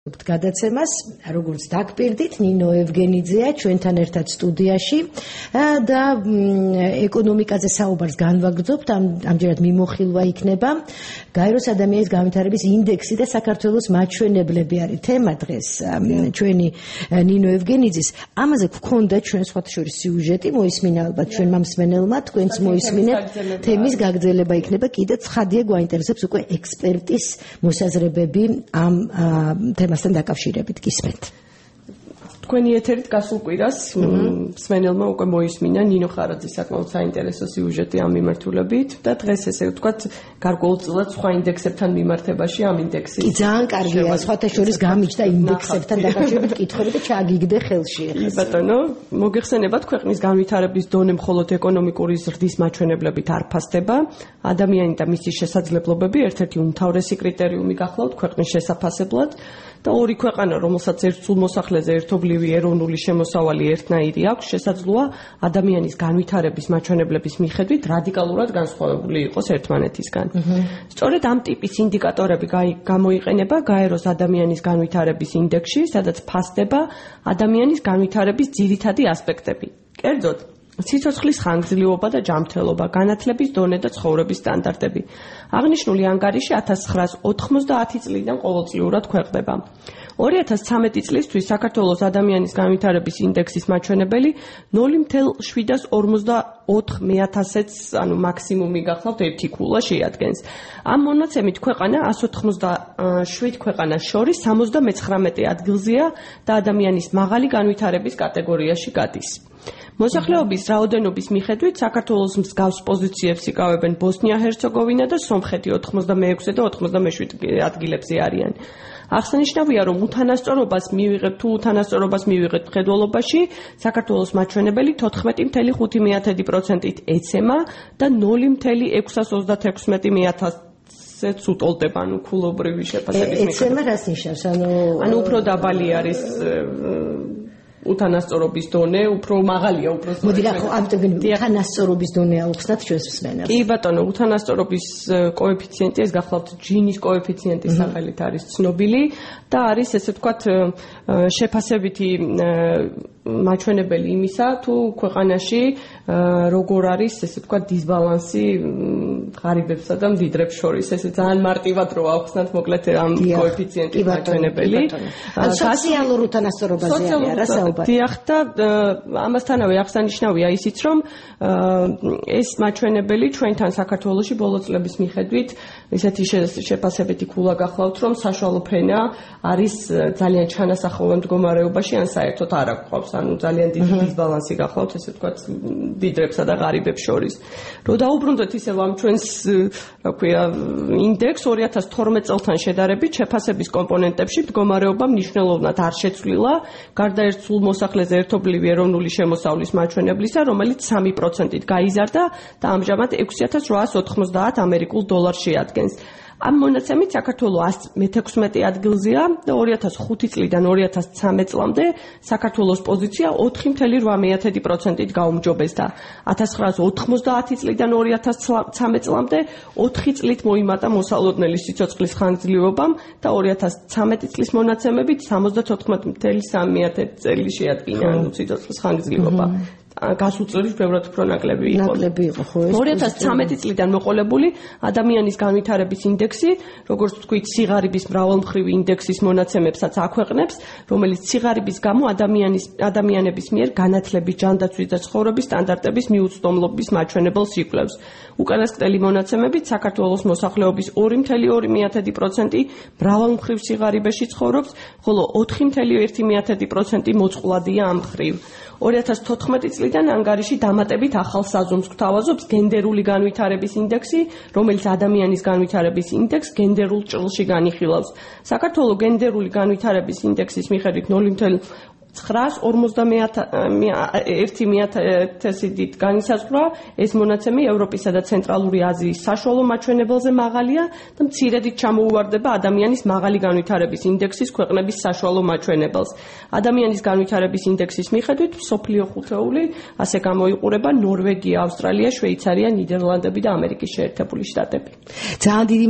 გადაცემას, როგორც დაგპირდით, ნინო ევგენიძეა ჩვენთან ერთად სტუდიაში და ეკონომიკაზე საუბარს განვაგრძობთ. ამჯერად მიმოხილვა იქნება გაეროს ადამიანის განვითარების ინდექსი და საქართველოს მაჩვენებლები არის თემა დღეს ჩვენი ნინო ევგენიძის. ამაზე გქონდა ჩვენ სხვათა შორის სიუჟეტი, მოისმინა ალბათ ჩვენმა მსმენელმა, თქვენც მოისმინეთ. თემის გაგრძელება იქნება, კიდე ცხადია გვაინტერესებს უკვე ექსპერტის მოსაზრებები ამ თემასთან დაკავშირებით. გისმენთ. თქვენი ეთერით გასულ კვირას მსმენელმა უკვე მოისმინა ნინო ხარაძის საკმაოდ საინტერესო სიუჟეტი ამ მიმართულებით და დღეს ესე ვთქვათ გარკვეულწილად სხვა ინდექსებთან მიმართებაში ამ ინდექსის კი ძალიან კარგია სხვათა შორის გამიჩნდა ინდექსებთან დაკავშირებით კითხვები და ჩააგიგდე ხელში ახლა. ბატონო, მოგეხსენებათ ქვეყნის განვითარების დონე მხოლოდ ეკონომიკური ზრდის მაჩვენებლებით არ ფასდება. ადამიანი და მისი შესაძლებლობები ერთ-ერთი უმთავრესი კრიტერიუმი გახლავთ ქვეყნის შესაფასებლად. და ორი ქვეყანა, რომელსაც ერთ სულ მოსახლეზე ერთობლივი ეროვნული შემოსავალი ერთნაირი აქვს, შესაძლოა ადამიანის განვითარების მაჩვენებლების მიხედვით რადიკალურად განსხვავებული იყოს ერთმანეთისგან. სწორედ ამ ტიპის ინდიკატორები გამოიყენება გაეროს ადამიანის განვითარების ინდექსში, სადაც ფასდება ადამიანის განვითარების ძირითადი ასპექტები. კერძოდ, სიცოცხლის ხანგრძლივობა და ჯანმრთელობა, განათლების დონე და ცხოვრების სტანდარტები. აღნიშნული ანგარიში 1990 წლიდან ყოველწლიურად ქვეყნდება. 2013 წლისთვის საქართველოს ადამიანის განვითარების ინდექსის მაჩვენებელი 0,744-ს, ანუ მაქსიმუმი გახლავთ 1 ქულა შეადგენს. ამ მონაცემით ქვეყანა 187 ქვეყანას შორის 79 ადგილზეა და ადამიანის მაღალი განვითარების კატეგორიაში გადის. მოსახლეობის რაოდენობის მიხედვით საქართველოს მსგავს პოზიციებს იკავებენ ბოსნია-ჰერცეგოვინა და სომხეთი 86 და 87 ადგილებზე არიან. აღსანიშნავია, რომ უთანასწორობას მივიღეთ მხედველობაში საქართველოს მაჩვენებელი 14,5%-ით ეცემა და 0,636%-ს უტოლდება, ანუ ქულობრივი შეფასების მიხედვით. ეცემა რას ნიშნავს? ანუ უფრო დაბალი არის უთანასწორობის დონე, უფრო მაღალია, უფრო მოდი რა ხო ამიტომ უთანასწორობის დონე აუხსნათ ჩვენს მსმენელს. კი ბატონო, უთანასწორობის კოეფიციენტი, ეს გახლავთ ჯინის კოეფიციენტის სახელით არის ცნობილი და არის ესე ვთქვათ შეფასებითი მაჩვენებელი იმისა, თუ ქვეყანაში როგორ არის ესე ვთქვათ დისბალანსი ღარიბებსა და მდიდრებს შორის. ესე ძალიან მარტივად რო ავხსნათ მოკლედ ამ კოეფიციენტის მაჩვენებელი. სოციალურ უთანასწორობაზე არა საუბარი. დიახ და ამასთანავე აღსანიშნავია ისიც, რომ ეს მაჩვენებელი ჩვენთან საქართველოში ბოლო წლების მიხედვით ესეთი შეფასებითი ქულა გახლავთ, რომ საშუალო ფრენა არის ძალიან ჩანასახოვან მდგომარეობაში, ან საერთოდ არ აქვს, ანუ ძალიან დიდი დისბალანსი გახლავთ, ესე ვთქვათ, მდიდრებსა და ღარიბებს შორის. რო დაუბრუნდეთ ისევ ამ ჩვენს, რა ქვია, ინდექს 2012 წელთან შედარებით შეფასების კომპონენტებში მდგომარეობა მნიშვნელოვნად არ შეცვლილა, გარდა ერთ სულ მოსახლეზე ერთობლივი ეროვნული შემოსავლის მაჩვენებლისა, რომელიც 3%-ით გაიზარდა და ამჟამად 6,890 ამერიკულ დოლარს შეადგენს. ამ მონაცემით საქართველოს 116 ადგილზეა და 2005 წლიდან 2013 წლამდე საქართველოს პოზიცია 4,8%-ით გაუმჯობესდა. 1990 წლიდან 2013 წლამდე 4 წლით მოიმატა მოსალოდნელი სიცოცხლის ხანგრძლივობამ და 2013 წლის მონაცემებით 74,3 წელი შეადგინა სიცოცხლის ხანგრძლივობა. გასულ წლებში ბევრად უფრო ნაკლები იყო. 2013 წლიდან მოყოლებული ადამიანის განვითარების ინდექსი, როგორც ვთქვით, სიღარიბის მრავალმხრივი ინდექსის მონაცემებსაც აქვეყნებს, რომელიც სიღარიბის გამო ადამიანების მიერ განათლების, ჯანდაცვის და ცხოვრების სტანდარტების მიუწვდომლობის მაჩვენებელს იკვლევს. უკანასკნელი მონაცემებით საქართველოს მოსახლეობის 2,2% მრავალმხრივ სიღარიბეში ცხოვრობს, ხოლო 4,1% მოწყვლადია ამ მხრივ. 2014 წლიდან ანგარიში დამატებით ახალ საზომს გვთავაზობს გენდერული განვითარების ინდექსი, რომელიც ადამიანის განვითარების ინდექსს გენდერულ ჭრილში განიხილავს. საქართველოს გენდერული განვითარების ინდექსის მიხედვით 0,941%-ით განისაზღვრა ეს მონაცემი ევროპისა და ცენტრალური აზიის საშუალო მაჩვენებელზე მაღალია და მცირედით ჩამოუვარდება ადამიანის მაღალი განვითარების ინდექსის ქვეყნების საშუალო მაჩვენებელს. ადამიანის განვითარების ინდექსის მიხედვით მსოფლიო ხუთეული ასე გამოიყურება ნორვეგია, ავსტრალია, შვეიცარია, ნიდერლანდები და ამერიკის შეერთებული შტატები. ძალიან დიდი